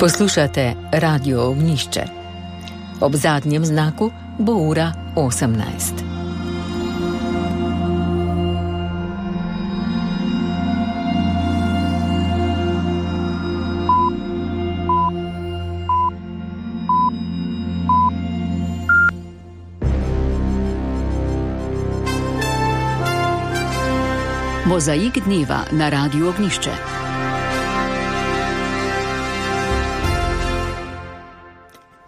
Poslušate Radio Ognjišče. Ob zadnjem znaku bo ura 18. Mozaik dneva na Radiu Ognjišče.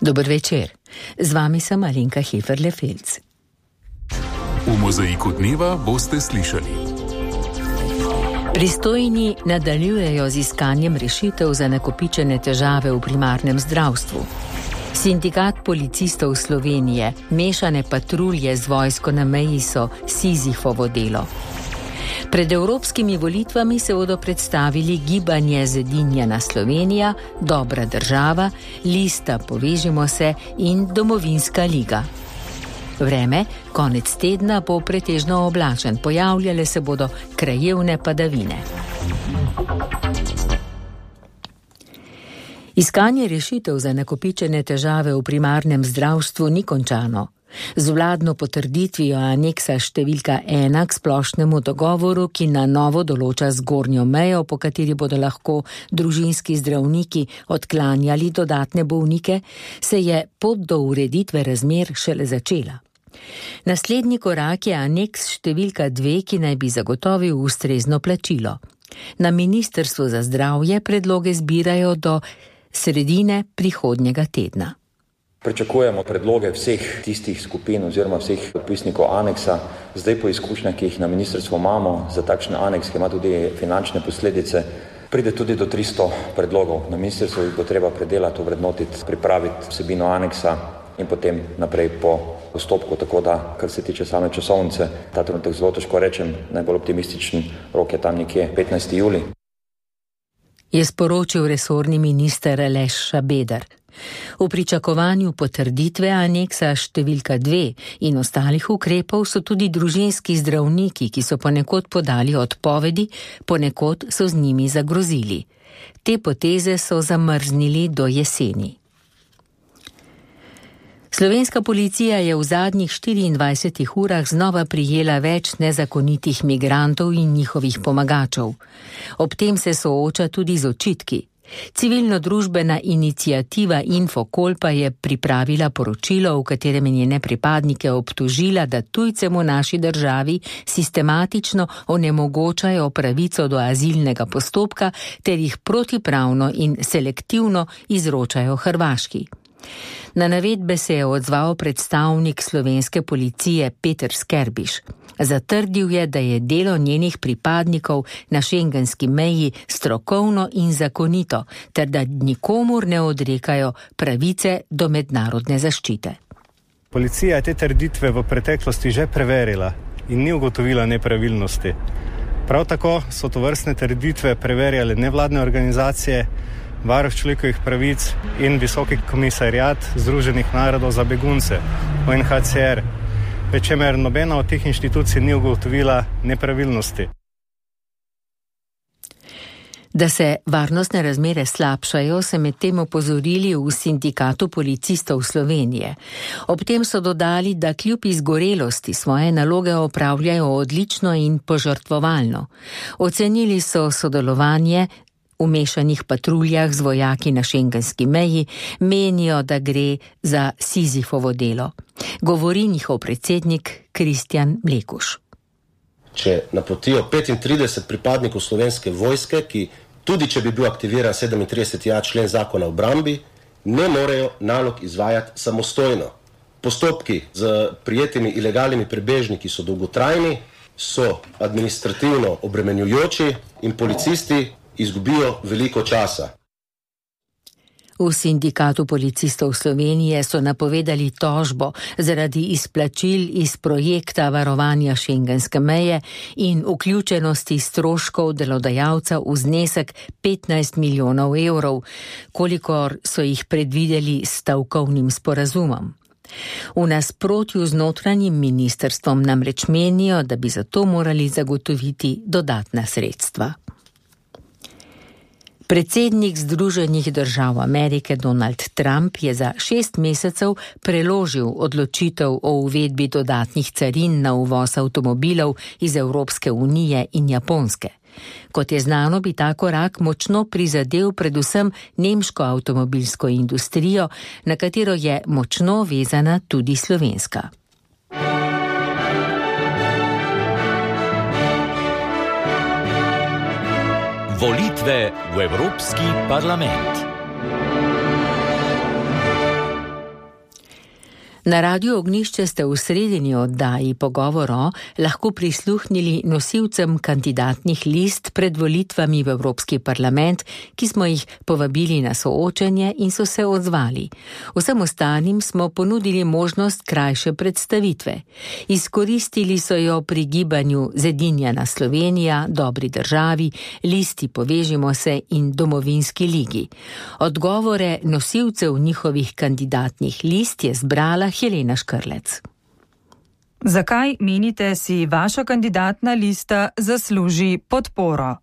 Dober večer. Z vami sem Alenka Heferle-Felc. V Mozaiku dneva boste slišali. Pristojni nadaljujejo z iskanjem rešitev za nakopičene težave v primarnem zdravstvu. Sindikat policistov Slovenije, mešane patrulje z vojsko na meji so Sizifovo delo. Pred evropskimi volitvami se bodo predstavili Gibanje Zedinjena Slovenija, Dobra država, Lista Povežimo se in Domovinska liga. Vreme, konec tedna bo pretežno oblačen, pojavljale se bodo krajevne padavine. Iskanje rešitev za nakopičene težave v primarnem zdravstvu ni končano. Z vladno potrditvijo aneksa številka 1 k splošnemu dogovoru, ki na novo določa zgornjo mejo, po kateri bodo lahko družinski zdravniki odklanjali dodatne bolnike, se je pot do ureditve razmer šele začela. Naslednji korak je aneks številka 2, ki naj bi zagotovil ustrezno plačilo. Na Ministrstvu za zdravje predloge zbirajo do sredine prihodnjega tedna. Pričakujemo predloge vseh tistih skupin oziroma vseh podpisnikov aneksa. Zdaj po izkušnjah, ki jih na ministrstvu imamo, za takšen aneks, ki ima tudi finančne posledice, pride tudi do 300 predlogov. Na ministrstvu jih bo treba predelati, ovrednotiti, pripraviti vsebino aneksa in potem naprej po postopku, tako da, kar se tiče same časovnice, ta trenutek zelo težko rečem, najbolj optimističen rok je tam nekje 15. julij. Je sporočil resorni minister Aleš Šabeder. V pričakovanju potrditve aneksa številka 2 in ostalih ukrepov so tudi družinski zdravniki, ki so ponekod podali odpovedi, ponekod so z njimi zagrozili. Te poteze so zamrznili do jeseni. Slovenska policija je v zadnjih 24 urah znova prijela več nezakonitih migrantov in njihovih pomagačev. Ob tem se sooča tudi z očitki. Civilno-družbena iniciativa Infokol pa je pripravila poročilo, v katerem je njene pripadnike obtožila, da tujcem v naši državi sistematično onemogočajo pravico do azilnega postopka ter jih protipravno in selektivno izročajo Hrvaški. Na navedbe se je odzval predstavnik slovenske policije Peter Skerbiš. Zatrdil je, da je delo njenih pripadnikov na šengenski meji strokovno in zakonito, ter da nikomur ne odrekajo pravice do mednarodne zaščite. Policija je te trditve v preteklosti že preverila in ni ugotovila nepravilnosti. Prav tako so tovrstne trditve preverjale nevladne organizacije, Varuh človekovih pravic in Visoki komisariat Združenih narodov za begunce, UNHCR, pri čemer nobena od teh inštitucij ni ugotovila nepravilnosti. Da se varnostne razmere slabšajo, se medtem opozorili v Sindikatu policistov Slovenije. Ob tem so dodali, da kljub izgorelosti svoje naloge opravljajo odlično in požrtvovalno. Ocenili so sodelovanje v mešanih patruljah z vojaki na šengenski meji, menijo, da gre za Sizifovo delo. Govori njihov predsednik Kristjan Mlekuš. Če napotijo 35 pripadnikov slovenske vojske, ki tudi če bi bil aktiviran 37. člen zakona o obrambi, ne morejo nalog izvajati samostojno. Postopki z prijetimi ilegalnimi prebežniki so dolgotrajni, so administrativno obremenjujoči in policisti izgubijo veliko časa. V Sindikatu policistov Slovenije so napovedali tožbo zaradi izplačil iz projekta varovanja šengenske meje in vključenosti stroškov delodajalca v znesek 15 milijonov evrov, kolikor so jih predvideli s stavkovnim sporazumom. V nasprotju z notranjim ministrstvom namreč menijo, da bi za to morali zagotoviti dodatna sredstva. Predsednik Združenih držav Amerike Donald Trump je za 6 mesecev preložil odločitev o uvedbi dodatnih carin na uvoz avtomobilov iz Evropske unije in Japonske. Kot je znano, bi ta korak močno prizadel predvsem nemško avtomobilsko industrijo, na katero je močno vezana tudi slovenska. Volitve v Evropski parlament. Na Radiu Ognjišče ste v sredini oddaji Pogovoro lahko prisluhnili nosilcem kandidatnih list pred volitvami v Evropski parlament, ki smo jih povabili na soočenje in so se odzvali. Vsem ostalim smo ponudili možnost krajše predstavitve. Izkoristili so jo pri gibanju Zedinjena Slovenija, Dobri državi, Listi Povežimo se in Domovinski ligi. Odgovore nosilcev njihovih kandidatnih list je zbrala Helena Škrlec. Zakaj menite si vaša kandidatna lista zasluži podporo?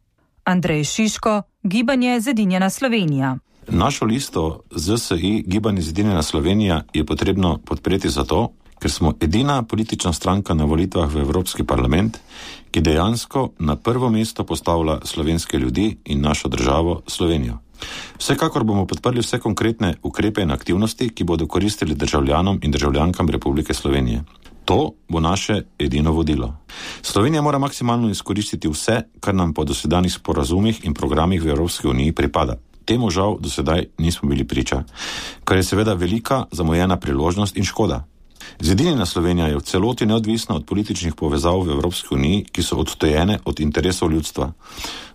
Andrej Šiško, Gibanje Zedinjena Slovenija. Našo listo ZSI Gibanje Zedinjena Slovenija je potrebno podpreti zato, ker smo edina politična stranka na volitvah v Evropski parlament, ki dejansko na prvo mesto postavlja slovenske ljudi in našo državo Slovenijo. Vsekakor bomo podprli vse konkretne ukrepe in aktivnosti, ki bodo koristili državljanom in državljankam Republike Slovenije. To bo naše edino vodilo. Slovenija mora maksimalno izkoristiti vse, kar nam po dosedanjih sporazumih in programih v Evropski uniji pripada. Temu žal do sedaj nismo bili priča, kar je seveda velika zamujena priložnost in škoda. Zedinjena Slovenija je v celoti neodvisna od političnih povezav v Evropski uniji, ki so odtojene od interesov ljudstva.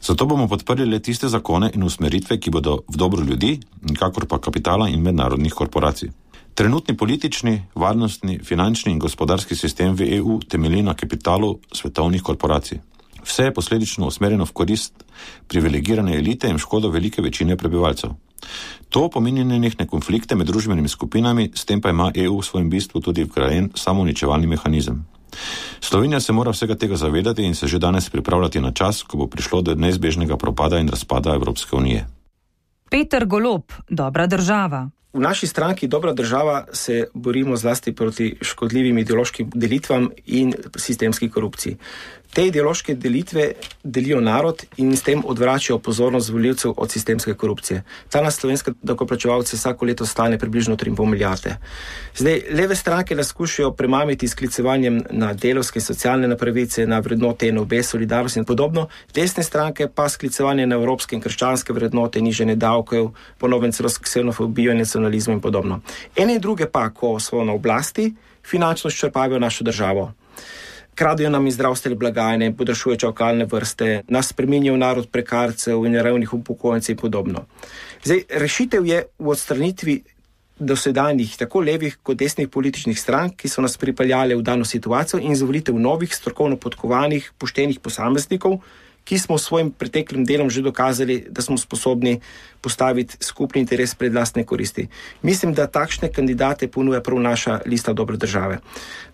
Zato bomo podprli le tiste zakone in usmeritve, ki bodo v dobro ljudi, nikakor pa kapitala in mednarodnih korporacij. Trenutni politični, varnostni, finančni in gospodarski sistem v EU temelji na kapitalu svetovnih korporacij. Vse je posledično usmerjeno v korist privilegirane elite in škodo velike večine prebivalcev. To pomeni nenehne konflikte med družbenimi skupinami, s tem pa ima EU v svojem bistvu tudi vgrajen samouničevalni mehanizem. Slovenija se mora vsega tega zavedati in se že danes pripravljati na čas, ko bo prišlo do neizbežnega propada in razpada Evropske unije. Peter Golob, Dobra država. V naši stranki Dobra država se borimo zlasti proti škodljivim ideološkim delitvam in sistemski korupciji. Te ideološke delitve delijo narod in s tem odvračajo pozornost volivcev od sistemske korupcije. Ta nas slovenske davkoplačevalce vsako leto stane približno 3,5 milijarde. Zdaj, leve stranke nas skušajo premamiti s sklicevanjem na delovske socialne pravice, na vrednote NOB, solidarnost in podobno. Desne stranke pa sklicevanje na evropske in krščanske vrednote, nižanje davkov, ponovno celo ksenofobijo in nacionalizem in podobno. Ene in druge pa, ko so na oblasti, finančno ščrpavijo našo državo. Kradijo nam iz zdravstvene blagajne, podaljšujejo čakalne vrste, nas spreminjajo v narod prekarcev in revnih upokojencev in podobno. Zdaj, rešitev je v odstranitvi dosedanjih tako levih kot desnih političnih strank, ki so nas pripeljale v dano situacijo in izvolitev novih, strokovno podkovanih, poštenih posameznikov, ki smo v svojim preteklim delom že dokazali, da smo sposobni postaviti skupni interes pred lastne koristi. Mislim, da takšne kandidate ponuja prav naša lista Dobre države.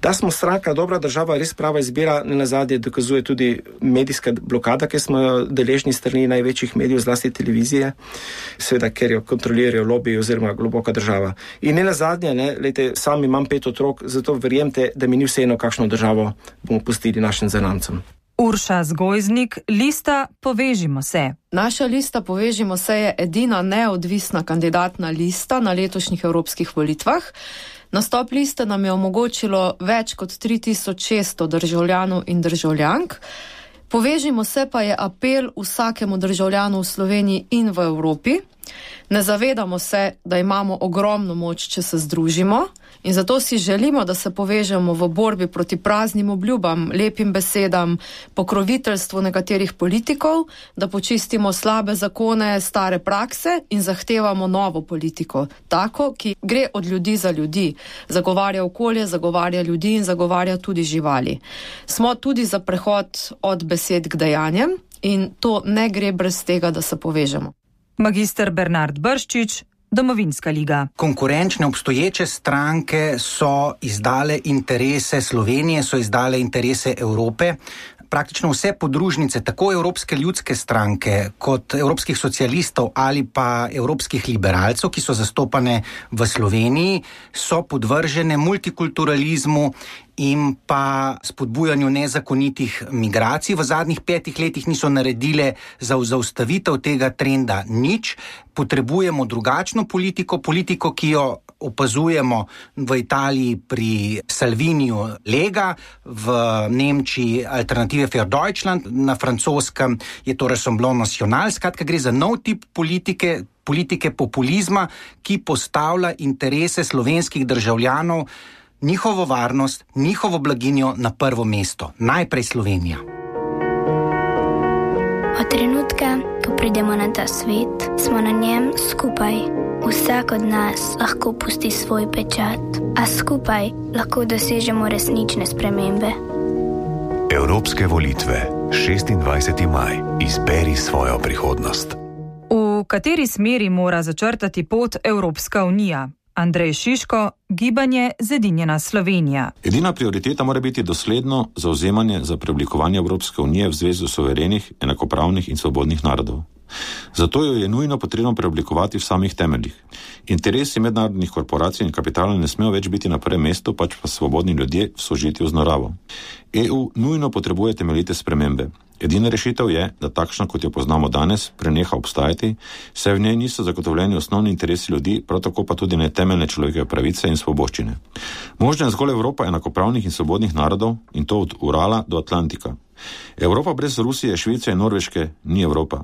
Da smo stranka Dobra država res prava izbira, nenazadnje dokazuje tudi medijska blokada, ki smo jo deležni strani največjih medijev, zlasti televizije, seveda, ker jo kontrolirajo lobiji oziroma globoka država. In nenazadnje, lejte, sam imam 5 otrok, zato verjemite, da mi ni vseeno, kakšno državo bomo pustili našim zanamcem. Urša Zgojznik, lista Povežimo se. Naša lista Povežimo se je edina neodvisna kandidatna lista na letošnjih evropskih volitvah. Nastop liste nam je omogočilo več kot 3600 državljanov in državljank. Povežimo se pa je apel vsakemu državljanu v Sloveniji in v Evropi. Ne zavedamo se, da imamo ogromno moč, če se združimo, in zato si želimo, da se povežemo v borbi proti praznim obljubam, lepim besedam, pokroviteljstvu nekaterih politikov, da počistimo slabe zakone, stare prakse in zahtevamo novo politiko, tako, ki gre od ljudi za ljudi, zagovarja okolje, zagovarja ljudi in zagovarja tudi živali. Smo tudi za prehod od besed k dejanjem in to ne gre brez tega, da se povežemo. Magister Bernard Brščič, Domovinska liga. Konkurenčne obstoječe stranke so izdale interese Slovenije, so izdale interese Evrope praktično vse podružnice, tako Evropske ljudske stranke kot Evropskih socialistov ali pa Evropskih liberalcev, ki so zastopane v Sloveniji, so podvržene multikulturalizmu in pa spodbujanju nezakonitih migracij. V zadnjih 5 letih niso naredile za zaustavitev tega trenda nič. Potrebujemo drugačno politiko, ki jo opazujemo v Italiji pri Salviniju Lega, v Nemčiji Alternative für Deutschland, na francoskem je to Rassemblement National. Skratka, gre za nov tip politike populizma, ki postavlja interese slovenskih državljanov, njihovo varnost, njihovo blaginjo na prvo mesto. Najprej Slovenija. Od trenutka, ko pridemo na ta svet, smo na njem skupaj. Vsak od nas lahko pusti svoj pečat, a skupaj lahko dosežemo resnične spremembe. Evropske volitve, 26. maj. Izberi svojo prihodnost. V kateri smeri mora začrtati pot Evropska unija? Andrej Šiško, Gibanje Zedinjena Slovenija. Edina prioriteta mora biti dosledno zauzemanje za preoblikovanje Evropske unije v zvezo suverenih, enakopravnih in svobodnih narodov. Zato jo je nujno potrebno preoblikovati v samih temeljih. Interesi mednarodnih korporacij in kapitala ne smejo več biti na prvem mestu, pač pa svobodni ljudje v sožitju z naravo. EU nujno potrebuje temeljite spremembe. Edina rešitev je, da takšna, kot jo poznamo danes, preneha obstajati, saj v njej niso zagotovljeni osnovni interesi ljudi, prav tako pa tudi ne temeljne človekove pravice in svoboščine. Možna je zgolj Evropa enakopravnih in svobodnih narodov, in to od Urala do Atlantika. Evropa brez Rusije, Švice in Norveške ni Evropa.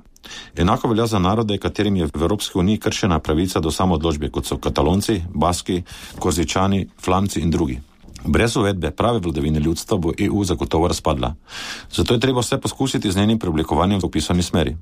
Enako velja za narode, katerim je v Evropski uniji kršena pravica do samoodločbe, kot so Katalonci, Baski, Korzičani, Flamci in drugi. Brez uvedbe prave vladavine ljudstva bo EU zagotovo razpadla. Zato je treba vse poskusiti z njenim preoblikovanjem v opisani smeri.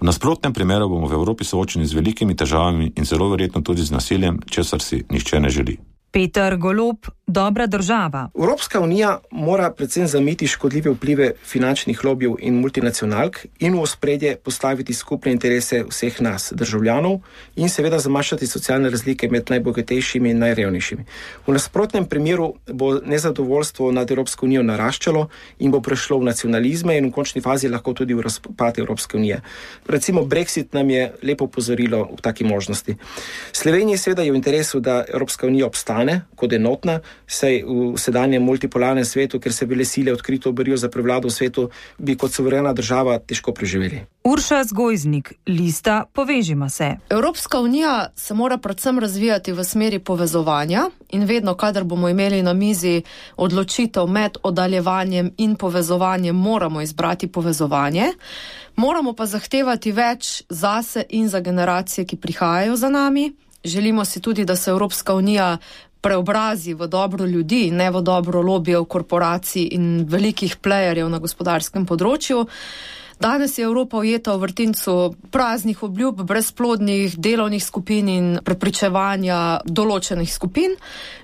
V nasprotnem primeru bomo v Evropi soočeni z velikimi težavami in zelo verjetno tudi z nasiljem, česar si nihče ne želi. Peter Golob, Dobra država. Evropska unija mora predvsem zamiti škodljive vplive finančnih lobijev in multinacionalk in v ospredje postaviti skupne interese vseh nas, državljanov, in seveda zmanjšati socialne razlike med najbogatejšimi in najrevnejšimi. V nasprotnem primeru bo nezadovoljstvo nad Evropsko unijo naraščalo in bo prešlo v nacionalizme in v končni fazi lahko tudi v razpad Evropske unije. Recimo Brexit nam je lepo opozorilo v taki možnosti. Sloveniji seveda je v interesu, da Evropska unija obstane kot enotna, saj v sedanjem multipolarnem svetu, ker se vele sile odkrito borijo za prevlado v svetu, bi kot suverena država težko preživeli. Urša Zgojznik, Lista Povežimo se. Evropska unija se mora predvsem razvijati v smeri povezovanja in vedno, kadar bomo imeli na mizi odločitev med oddaljevanjem in povezovanjem, moramo izbrati povezovanje. Moramo pa zahtevati več zase in za generacije, ki prihajajo za nami. Želimo si tudi, da se Evropska unija preobrazi v dobro ljudi, ne v dobro lobijev, korporacij in velikih playerjev na gospodarskem področju. Danes je Evropa ujeta v vrtincu praznih obljub, brezplodnih delovnih skupin in prepričevanja določenih skupin.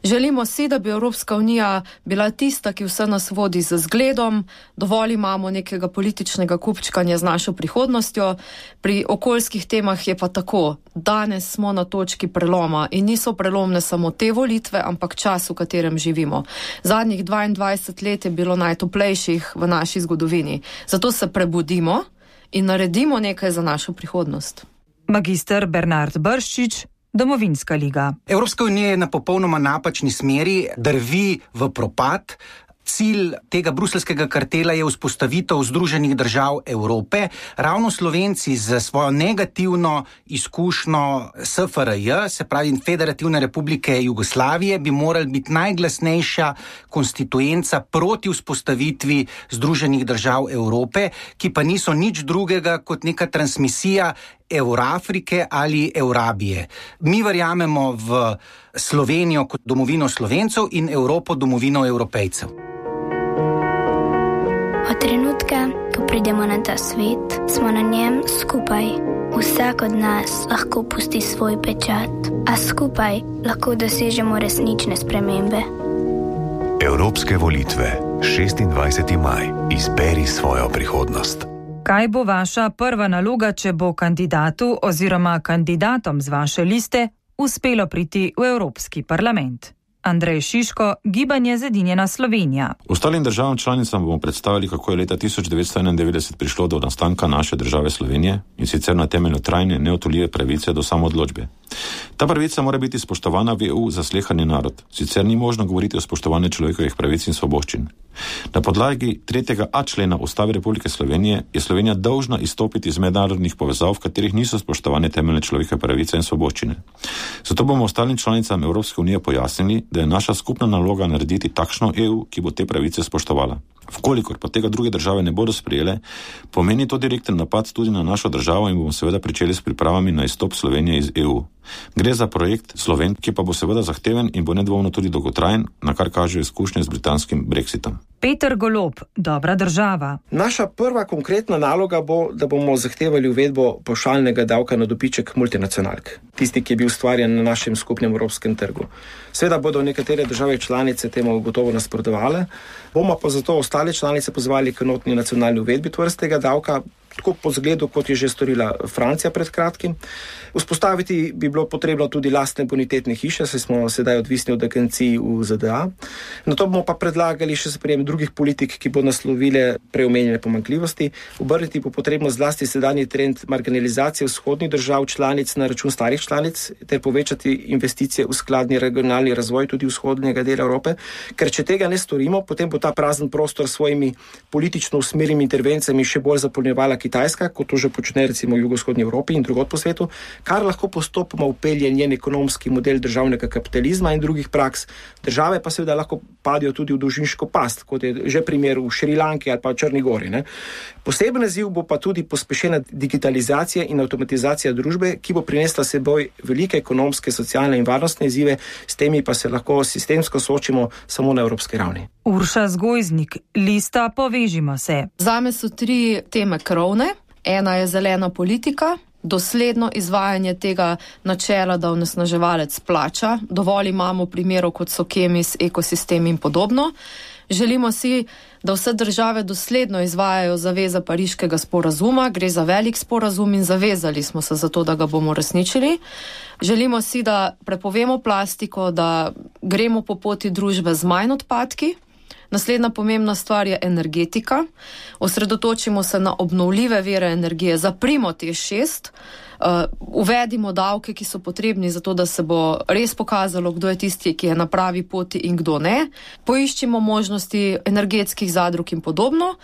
Želimo si, da bi Evropska unija bila tista, ki vse nas vodi z zgledom. Dovolj imamo nekega političnega kupčkanja z našo prihodnostjo. Pri okoljskih temah je pa tako. Danes smo na točki preloma in niso prelomne samo te volitve, ampak čas, v katerem živimo. Zadnjih 22 let je bilo najtoplejših v naši zgodovini. Zato se prebudimo in naredimo nekaj za našo prihodnost. Magister Bernard Brščič, Domovinska liga. Evropska unija je na popolnoma napačni smeri, drvi v propad. Cilj tega bruselskega kartela je vzpostavitev Združenih držav Evrope. Ravno Slovenci z svojo negativno izkušnjo SFRJ, se pravi Federativne republike Jugoslavije, bi morali biti najglasnejša konstituenca proti vzpostavitvi Združenih držav Evrope, ki pa niso nič drugega kot neka transmisija Eurafrike ali Eurabije. Mi verjamemo v Slovenijo kot domovino Slovencev in Evropo domovino Evropejcev. Od trenutka, ko pridemo na ta svet, smo na njem skupaj. Vsak od nas lahko pusti svoj pečat, a skupaj lahko dosežemo resnične spremembe. Evropske volitve, 26. maj. Izberi svojo prihodnost. Kaj bo vaša prva naloga, če bo kandidatu oziroma kandidatom z vaše liste uspelo priti v Evropski parlament? Andrej Šiško, Gibanje Zedinjena Slovenija. Ostalim državam članicam bomo predstavili, kako je leta 1991 prišlo do nastanka naše države Slovenije in sicer na temelju trajne, neodtujljive pravice do samoodločbe. Ta pravica mora biti spoštovana v EU za slehani narod, sicer ni možno govoriti o spoštovanju človekovih pravic in svoboščin. Na podlagi 3.a člena Ustave Republike Slovenije je Slovenija dolžna izstopiti iz mednarodnih povezav, v katerih niso spoštovane temeljne človekove pravice in svoboščine. Zato bomo ostalim članicam Evropske unije pojasnili, da je naša skupna naloga narediti takšno EU, ki bo te pravice spoštovala. Vkolikor pa tega druge države ne bodo sprejele, pomeni to direkten napad tudi na našo državo in bomo seveda pričeli s pripravami na izstop Slovenije iz EU. Gre za projekt Sloven, ki pa bo seveda zahteven in bo nedvomno tudi dolgotrajen, na kar kažejo izkušnje z britanskim Brexitom. Peter Golob, Dobra država. Naša prva konkretna naloga bo, da bomo zahtevali uvedbo pavšalnega davka na dobiček multinacionalk, tisti, ki je bil ustvarjen na našem skupnem evropskem trgu. Seveda bodo nekatere države članice temu gotovo nasprotovale, bomo pa zato ostale članice pozvali k enotni nacionalni uvedbi tovrstnega davka, tako po zgledu, kot je že storila Francija pred kratkim. Vzpostaviti bi bilo potrebno tudi lastne bonitetne hiše, saj smo sedaj odvisni od agencij v ZDA. Na to bomo pa predlagali še sprejem drugih politik, ki bo naslovile preomenjene pomanjkljivosti. Obrniti bo potrebno zlasti sedanji trend marginalizacije vzhodnih držav članic na račun starih članic, ter povečati investicije v skladni regionalni razvoj tudi vzhodnega dela Evrope, ker če tega ne storimo, potem bo ta prazen prostor s svojimi politično usmerjenimi intervencijami še bolj zapolnjevala Kitajska, kot to že počne recimo v jugovzhodni Evropi in drugod po svetu, kar lahko postopoma upelje njen ekonomski model državnega kapitalizma in drugih praks. Države pa seveda lahko padijo tudi v dolžniško past, kot je že primer v Šrilanki ali pa Črni Gori. Poseben izziv bo pa tudi pospešena digitalizacija in avtomatizacija družbe, ki bo prinesla seboj velike ekonomske, socialne in varnostne izzive, s temi pa se lahko sistemsko soočimo samo na evropski ravni. Urša Zgojznik, Lista Povežimo se. Zame so 3 teme krovne. Ena je zelena politika, dosledno izvajanje tega načela, da onesnaževalec plača. Dovolj imamo primerov, kot so Kemis, ekosistemi in podobno. Želimo si, da vse države dosledno izvajajo zaveze Pariškega sporazuma. Gre za velik sporazum in zavezali smo se za to, da ga bomo resničili. Želimo si, da prepovemo plastiko, da gremo po poti družbe z manj odpadki. Naslednja pomembna stvar je energetika. Osredotočimo se na obnovljive vire energije, zaprimo TEŠ6, uvedimo davke, ki so potrebni za to, da se bo res pokazalo, kdo je tisti, ki je na pravi poti in kdo ne. Poiščimo možnosti energetskih zadrug in podobno.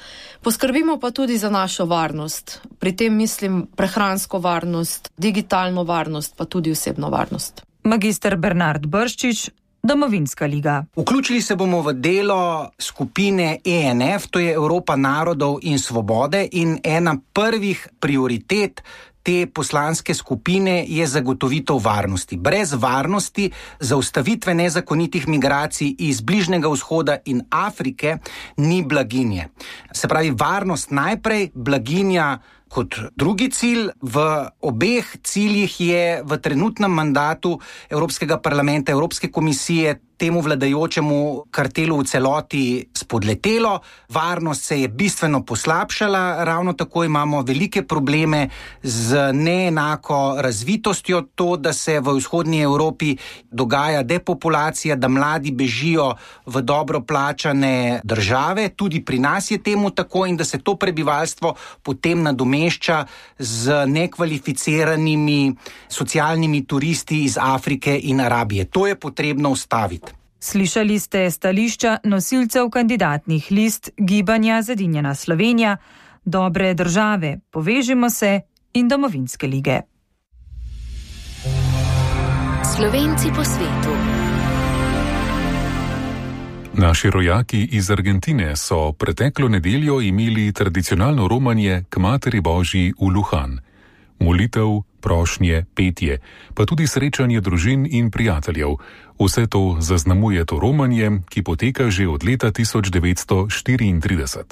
Poskrbimo pa tudi za našo varnost. Pri tem mislim prehransko varnost, digitalno varnost, pa tudi osebno varnost. Magister Bernard Brščič, Domovinska liga. Vključili se bomo v delo skupine ENF, to je Evropa narodov in svobode, in ena prvih prioritet te poslanske skupine je zagotovitev varnosti. Brez varnosti, zaustavitve nezakonitih migracij iz Bližnjega vzhoda in Afrike ni blaginje. Se pravi, varnost najprej, blaginja kot drugi cilj. V obeh ciljih je v trenutnem mandatu Evropskega parlamenta, Evropske komisije temu vladajočemu kartelu v celoti spodletelo. Varnost se je bistveno poslabšala, ravno tako imamo velike probleme z neenako razvitostjo, to, da se v vzhodnji Evropi dogaja depopulacija, da mladi bežijo v dobro plačane države, tudi pri nas je temu tako, in da se to prebivalstvo potem nadomešča z nekvalificiranimi socialnimi turisti iz Afrike in Arabije. To je potrebno ustaviti. Slišali ste stališča nosilcev kandidatnih list Gibanja Zedinjena Slovenija, Dobre države, Povežimo se in Domovinske lige. Slovenci po svetu. Naši rojaki iz Argentine so preteklo nedeljo imeli tradicionalno romanje k Materi Božji v Lujan. Molitev, prošnje, petje, pa tudi srečanje družin in prijateljev. Vse to zaznamuje to romanje, ki poteka že od leta 1934.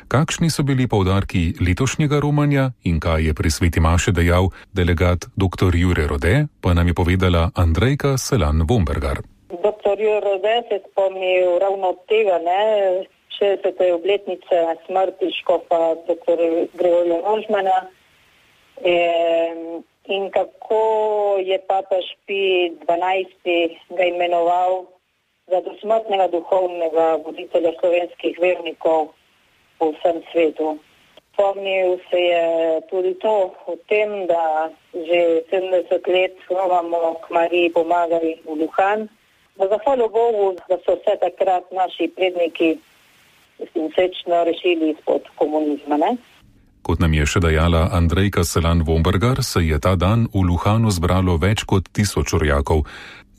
Kakšni so bili poudarki letošnjega romanja in kaj je pri sveti maši dejal delegat dr. Jure Rode, pa nam je povedala Andrejka Selan-Vombergar. Dr. Jure Rode se spomnil ravno od tega, 60. obletnice smrti škofa dr. Gregorja Rožmana. In kako je papež Pij XII ga imenoval za dosmrtnega duhovnega voditelja slovenskih vernikov po vsem svetu. Spomnil se je tudi to o tem, da že 70 let slovamo k Mariji pomagali v Luhan. Zahvaljujem Bogu, da so vse takrat naši predniki srečno rešili izpod komunizma. Ne? Kot nam je še dejala Andrejka Selan-Vombergar, se je ta dan v Luhanu zbralo več kot 1000 orjakov.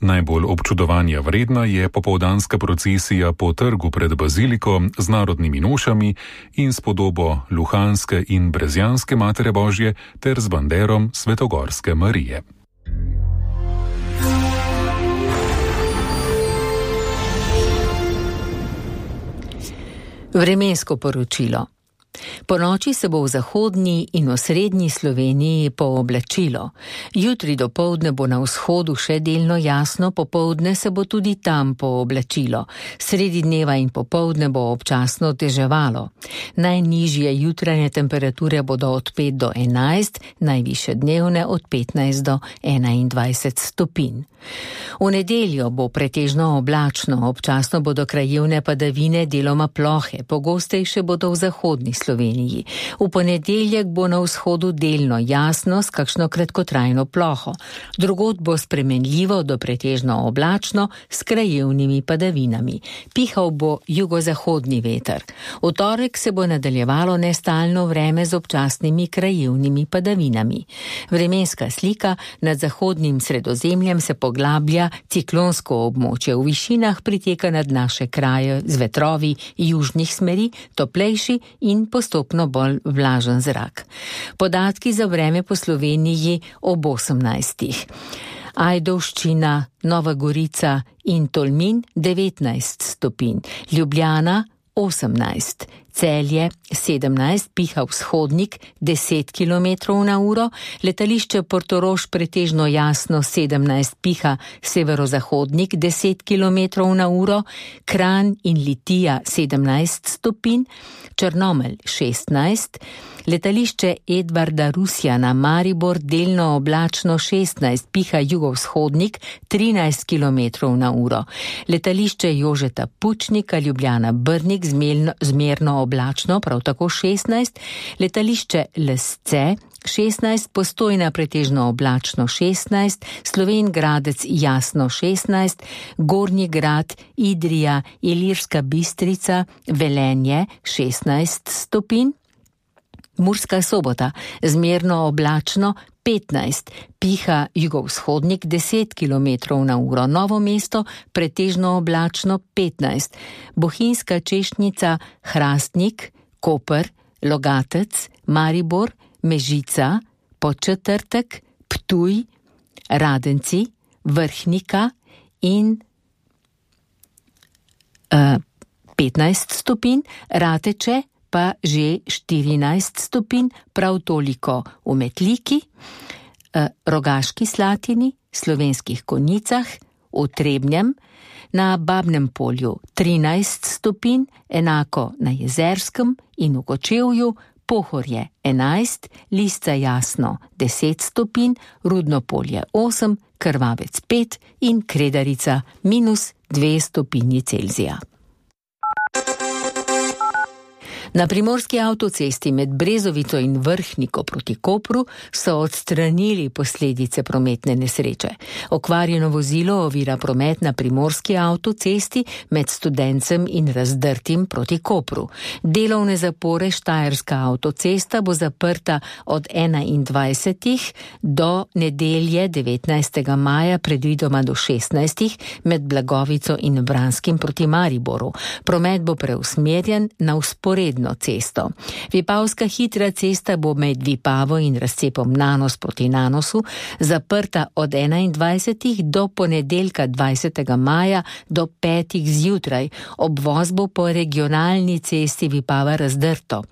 Najbolj občudovanja vredna je popoldanska procesija po trgu pred baziliko z narodnimi nošami in s podobo luhanske in brezjanske Matere Božje ter z banderom Svetogorske Marije. Vremensko poročilo. Ponoči se bo v zahodni in osrednji Sloveniji pooblačilo. Jutri dopoldne bo na vzhodu še delno jasno, popoldne se bo tudi tam pooblačilo. Sredi dneva in popoldne bo občasno deževalo. Najnižje jutranje temperature bodo od 5 do 11, najvišje dnevne od 15 do 21 stopinj. V nedeljo bo pretežno oblačno, občasno bodo krajevne padavine deloma plohe, pogostejše bodo v zahodni Sloveniji. V ponedeljek bo na vzhodu delno jasno s kakšno kratkotrajno ploho. Drugod bo spremenljivo do pretežno oblačno s krajevnimi padavinami. Pihal bo jugozahodni veter. V torek se bo nadaljevalo nestalno vreme z občasnimi krajevnimi padavinami. Vremenska slika nad zahodnim Sredozemljem se poglablja, ciklonsko območje v višinah priteka nad naše kraje z vetrovi južnih smeri, toplejši in postopno bolj vlažen zrak. Podatki za vreme po Sloveniji ob 18. Ajdovščina, Nova Gorica in Tolmin 19 stopinj, Ljubljana 18, Celje 17, piha vzhodnik 10 km na uro, letališče Portorož pretežno jasno 17, piha severozahodnik 10 km na uro, Kranj in Litija 17 stopinj, Črnomelj 16, letališče Edvarda Rusjana Maribor delno oblačno 16, piha jugovzhodnik 13 km na uro, letališče Jožeta Pučnika Ljubljana Brnik zmerno oblačno, prav tako 16, letališče Lesce 16, Postojna pretežno oblačno 16, Slovenj Gradec jasno 16, Gornji Grad, Idrija, Ilirska Bistrica, Velenje 16 stopinj, Murska Sobota zmerno oblačno 15, piha jugovzhodnik 10 km na uro, Novo mesto pretežno oblačno 15, Bohinjska Češnjica, Hrastnik, Koper, Logatec, Maribor, Mežica, Podčetrtek, Ptuj, Radenci, Vrhnika in 15 stopinj, Rateče pa že 14 stopinj, prav toliko v Metliki, Rogaški Slatini, Slovenskih Konjicah, v Trebnjem, na Babnem Polju 13 stopinj, enako na Jezerskem in v Kočevju, Pohorje 11, Lisca Jasno 10 stopinj, Rudno Polje 8, Krvavec 5 in Kredarica -2 stopinji Celzija. Na primorski avtocesti med Brezovico in Vrhniko proti Kopru so odstranili posledice prometne nesreče. Okvarjeno vozilo ovira promet na primorski avtocesti med Studencem in Razdrtim proti Kopru. Delovne zapore Štajerska avtocesta bo zaprta od 21. do nedelje 19. maja, predvidoma do 16. med Blagovico in Vranskim proti Mariboru. Promet bo preusmerjen na vzporedno cesto. Vipavska hitra cesta bo med Vipavo in razcepom Nanos proti Nanosu zaprta od 21. do ponedeljka 20. maja do 5. zjutraj. Obvoz bo po regionalni cesti Vipava Razdrto.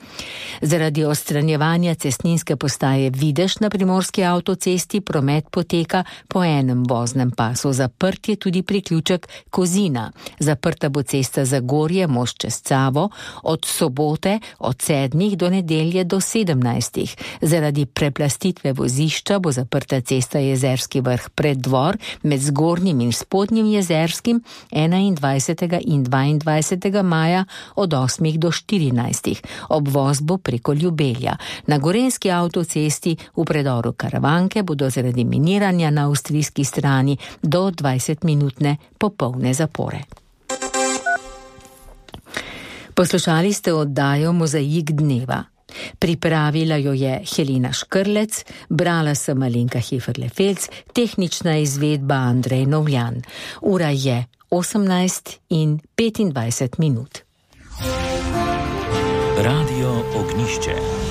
Zaradi odstranjevanja cestninske postaje Videž na primorski avtocesti promet poteka po enem voznem pasu. Zaprt je tudi priključek Kozina. Zaprta bo cesta Zagorje, most čez Cavo, od sobote sobote od 7 do nedelje do 17. Zaradi preplastitve vozišča bo zaprta cesta Jezerski vrh Preddvor med Zgornjim in Spodnjim Jezerskim 21. in 22. maja od 8 do 14. Obvoz bo preko Ljubelja. Na gorenjski avtocesti v predoru Karavanke bodo zaradi miniranja na avstrijski strani do 20-minutne popolne zapore. Poslušali ste oddajo Mozaik dneva. Pripravila jo je Helena Škrlec, brala sem Alenka Heferle-Felc, tehnična izvedba Andrej Novljan. Ura je 18:25. Radio Ognišče.